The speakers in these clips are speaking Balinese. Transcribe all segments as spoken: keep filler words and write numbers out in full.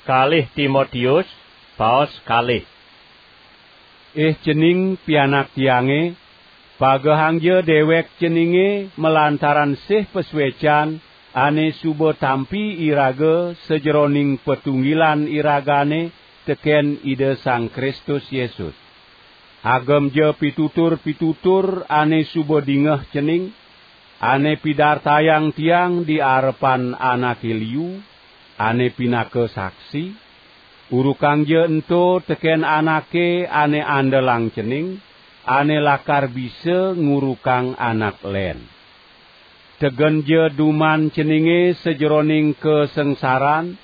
Kalih Timotius, paos kalih. Ih cening pianak tiange, pagehangja dewek ceninge malantaran sih pasuecan ane suba tampi iraga sajeroning patunggilan iragane teken Ida Sang Kristus Yesus. Agemja pitutur-pitutur ane suba dingeh cening, ane pidartayang tiang di arepan anake liu, ane pinaka saksi, urukangja ento teken anake ane andelang cening, ane lakar bisa ngurukang anak len. Tegenja duman ceninge sajeroning kasangsaran,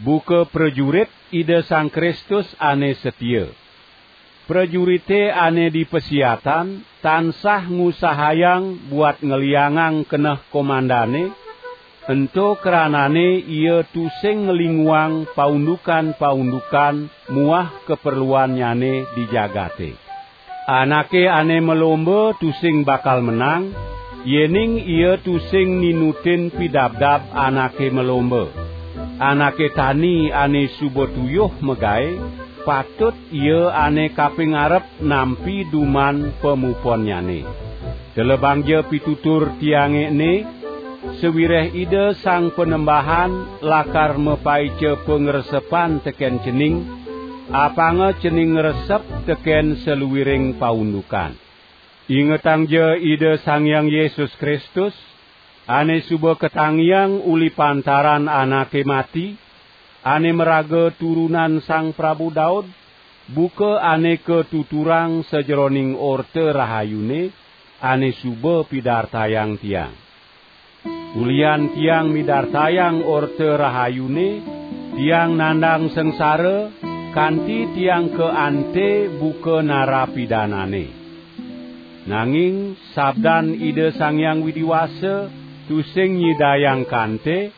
buka prajurit Ida Sang Kristus ane setia. Prajurite ane dipasiatan tansah ngusahayang buat ngliangang keneh komandane, ento kranane ia tusing nglinguang paundukan-paundukan muah kaperluannyane di jagate. Anake ane malomba tusing bakal menang, yening ia tusing ninutin pidabdab anake malomba. Anake tani ane suba tuyuh magae, patut ia ane kaping arep nampi duman pamuponnyane. Telebangja pitutur tiange ene, sawireh Ida Sang Panembahan lakar mapaica pangresepan teken cening, apanga cening ngresep teken saluiring paundukan. Ingetangja Ida Sang Hyang Yesus Kristus, ane suba katangiang uli pantaran anake mati, ane maraga turunan Sang Prabu Daud, buka ane katuturang sajeroning Orta Rahayune, ane suba pidartayang tiang. Ulian tiang midartayang Orta Rahayune, tiang nandang sangsara, kanti tiang kaante buka narapidanane. Nanging sabdan Ida Sang Hyang Widi Wasa tusing nyidayang kante,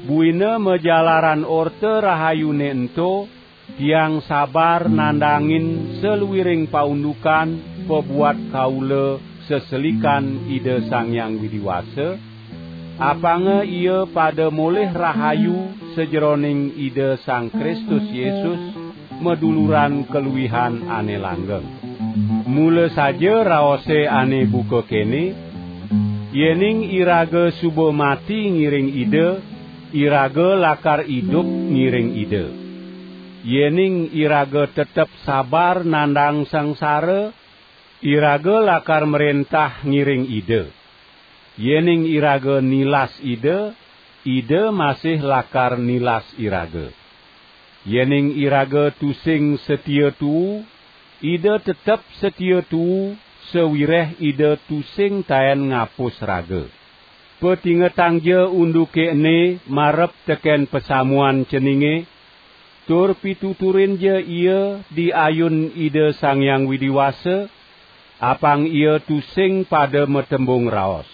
buina majalaran Orta Rahayune ento, tiang sabar nandangin saluiring paundukan pabuat kaula seselikan Ida Sang Hyang Widi Wasa, apanga ia pada molih rahayu sajeroning Ida Sang Kristus Yesus, maduluran kaluihan ane langgeng. Mula saja raose ane buka kene, "Yening iraga suba mati ngiring Ida, iraga lakar idup ngiring Ida. Yening iraga tetep sabar nandang sangsara, iraga lakar mrentah ngiring Ida. Yening iraga nilas Ida, Ida masih lakar nilas iraga. Yening iraga tusing satia tuu, Ida tetep satia tuu, sawireh Ida tusing taen ngapus raga." Patingetangja unduke ene marep teken pasamuan ceninge, tur pituturinja ia di ayun Ida Sang Hyang Widi Wasa, apang ia tusing pada matembung raos.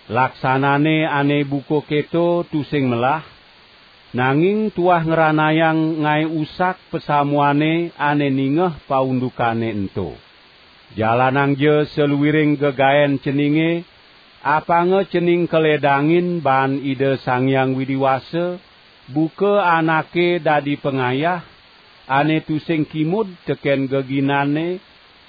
Laksanane ane buka keto tusing melah, nanging tuah ngranayang ngae usak pasamuane ane ningeh paundukane ento. Jalanangja saluiring gegaen ceninge, apanga cening kaledangin baan Ida Sang Hyang Widi Wasa, buka anake dadi pangayah, ane tusing kimud teken geginane,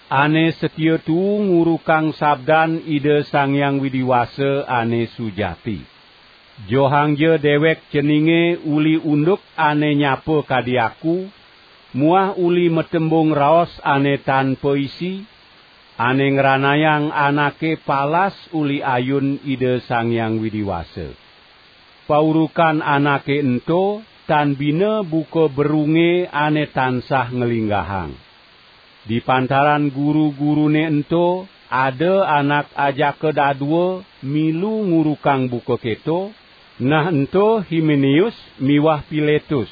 ane satia tuu ngurukang sabdan Ida Sang Hyang Widi Wasa ane sujati. Johangja dewek ceninge uli unduk ane nyapa kadi aku, muah uli matembung raos ane tan paisi, ane ngranayang anake palas uli ayun Ida Sang Hyang Widi Wasa. Paurukan anake ento tan bina buka berunge ane tansah nglinggahang. Di pantaran guru-gurune ento ada anak ajaka dadua milu ngurukang buka keto, nah ento Himeneus miwah Piletus.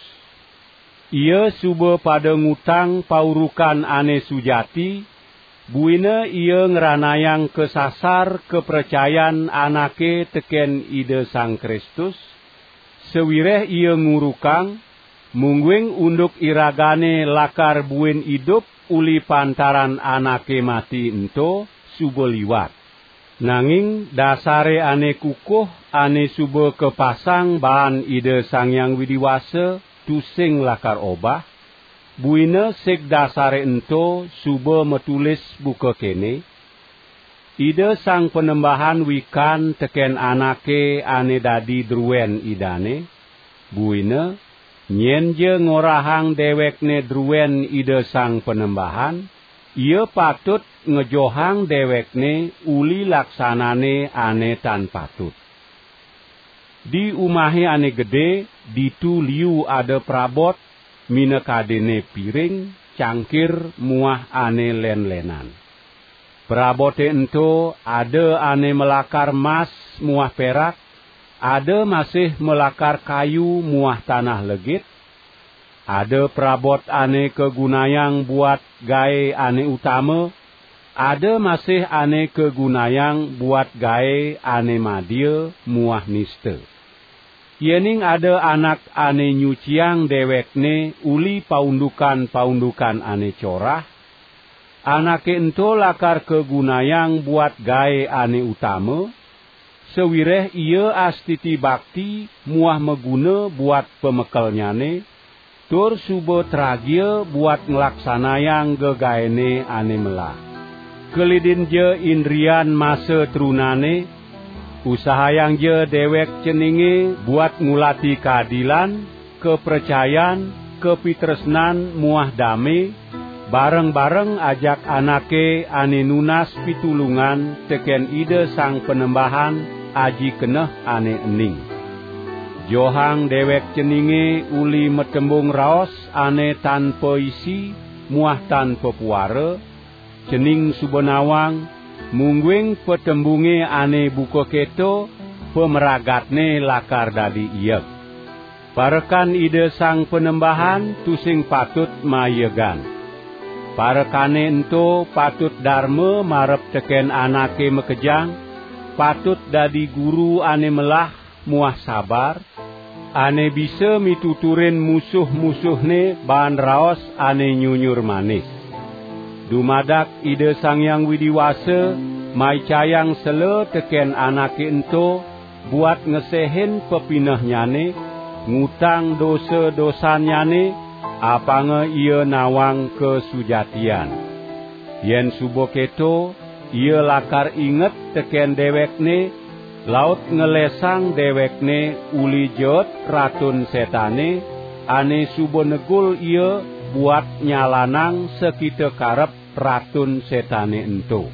Ia suba pada ngutang paurukan ane sujati, buina ia ngranayang kasasar kapracayan anake teken Ida Sang Kristus, sawireh ia ngurukang, mungguing unduk iragane lakar buin idup uli pantaran anake mati ento suba liwat. Nanging dasare ane kukuh ane suba kapasang baan Ida Sang Hyang Widi Wasa, tusing lakar obah, buina sig dasare ento suba matulis buka kene: Ida Sang Panembahan wikan teken anake ane dadi druen Idane, buina nyenja ngorahang dewekne druen Ida Sang Panembahan, ia patut ngejohang dewekne uli laksanane ane tan patut. Di umahe ane gede, ditu liu ada prabot, minakadene piring, cangkir, muah ane len-lenan. Prabote ento ada ane malakar mas muah perak, ada masih malakar kayu muah tanah legit, ada prabot ane kagunayang buat gae ane utama, ada masih ane kagunayang buat gae ane madia muah nista. Yening ada anak ane nyuciang dewekne uli paundukan-paundukan ane corah, anake ento lakar kagunayang buat gae ane utama, sawireh ia astiti bakti muah maguna buat pamekelnyane, tur suba tragia buat nglaksanayang gegaene ane melah. Kelidinja indrian masa trunane, usahayangja dewek ceninge buat ngulati kaadilan, kapracayan, kapitresnan muah dame, bareng-bareng ajak anake ane nunas pitulungan teken Ida Sang Panembahan aji keneh ane ening. Johang dewek ceninge uli matembung raos ane tan paisi muah tan papuara, cening suba nawang, mungguing patembunge ane buka keto, pamragatne lakar dadi ieg. Parekan Ida Sang Panembahan tusing patut maiegan. Parekane ento patut darma marep teken anake makejang, patut dadi guru ane melah muah sabar, ane bisa mituturin musuh-musuhne baan raos ane nyunyur manis. Dumadak Ida Sang Hyang Widi Wasa maicayang sela teken anake ento buat ngesehin pepinehnyane, ngutang dosa-dosannyane, apanga ia nawang kasujatian. Yen suba keto, ia lakar inget teken dewekne, laut ngelesang dewekne uli jeet Ratun Setane, ane suba negul ia buat nyalanang sakita karep Ratun Setane ento.